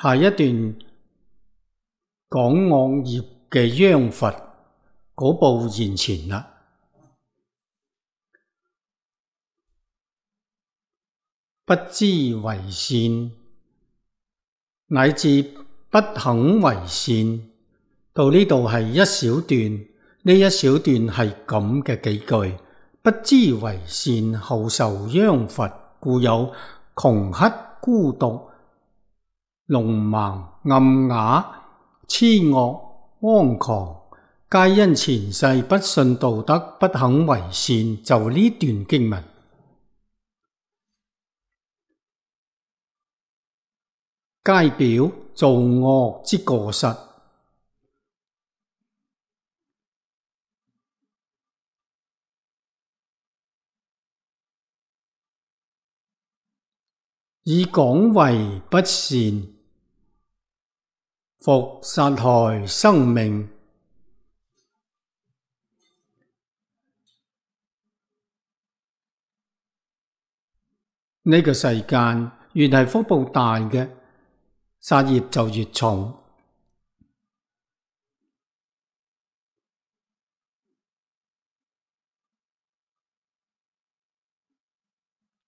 下一段講惡業嘅殃罰嗰步現前啦。不知為善，乃至不肯為善，到呢度係一小段，呢一小段係咁嘅幾句：不知為善，後受殃罰，故有窮乞、孤獨、聾盲、暗啞、痴惡、荒狂，皆因前世不信道德，不肯為善。就呢段經文，皆表造惡之過失。以廣為不善，復殺害生命。呢個世間越係福報大嘅，殺業就越重。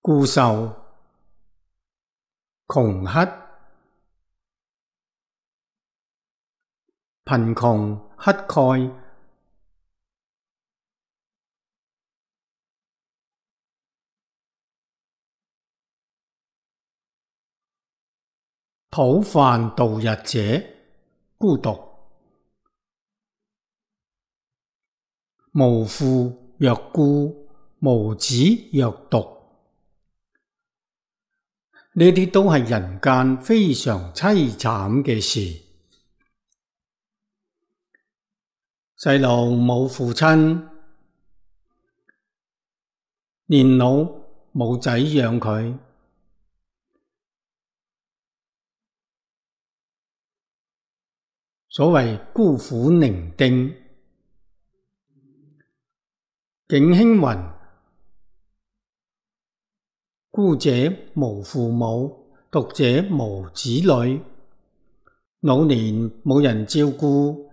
故受窮乞、貧窮、乞丐、討飯度日者，孤獨、無父若孤，無子若獨，呢啲都係人間非常淒慘嘅事。細路冇父親，年老冇仔養佢，所謂孤苦伶仃。景興雲：孤者無父母，獨者無子女。老年冇人照顧，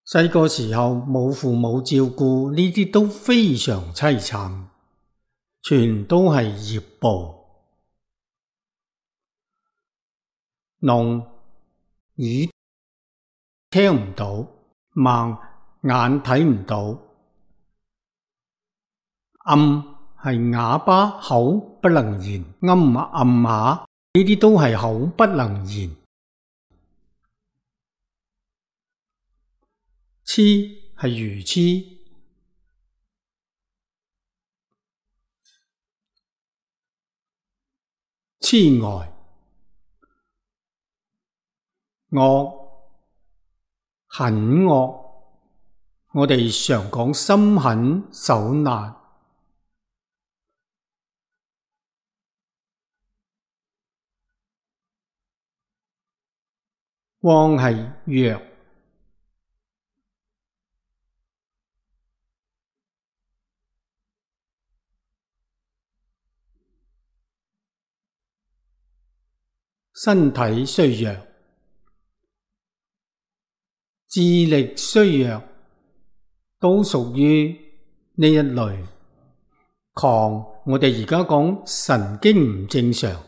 細個時候冇父母照顧，呢啲都非常淒慘，全都係業報。聾，耳聽唔到，盲，眼睇唔到，暗係啞巴，口不能言，暗下，呢啲都係口不能言。痴係愚痴，痴呆。惡，很惡，我哋常講心狠手辣。妄係弱，身體衰弱，智力衰弱，都屬於呢一類。狂，我哋而家講神經唔正常。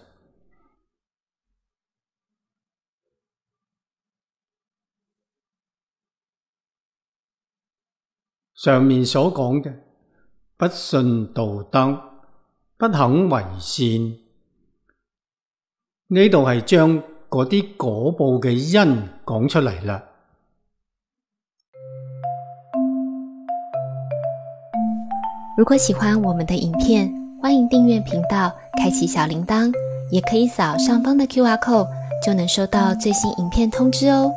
上面所講嘅不信道德，不肯為善，呢度係將嗰啲果報嘅因講出嚟啦。如果喜歡我們的影片，歡迎訂閱頻道，開啟小鈴鐺，也可以掃上方的QR code，就能收到最新影片通知哦。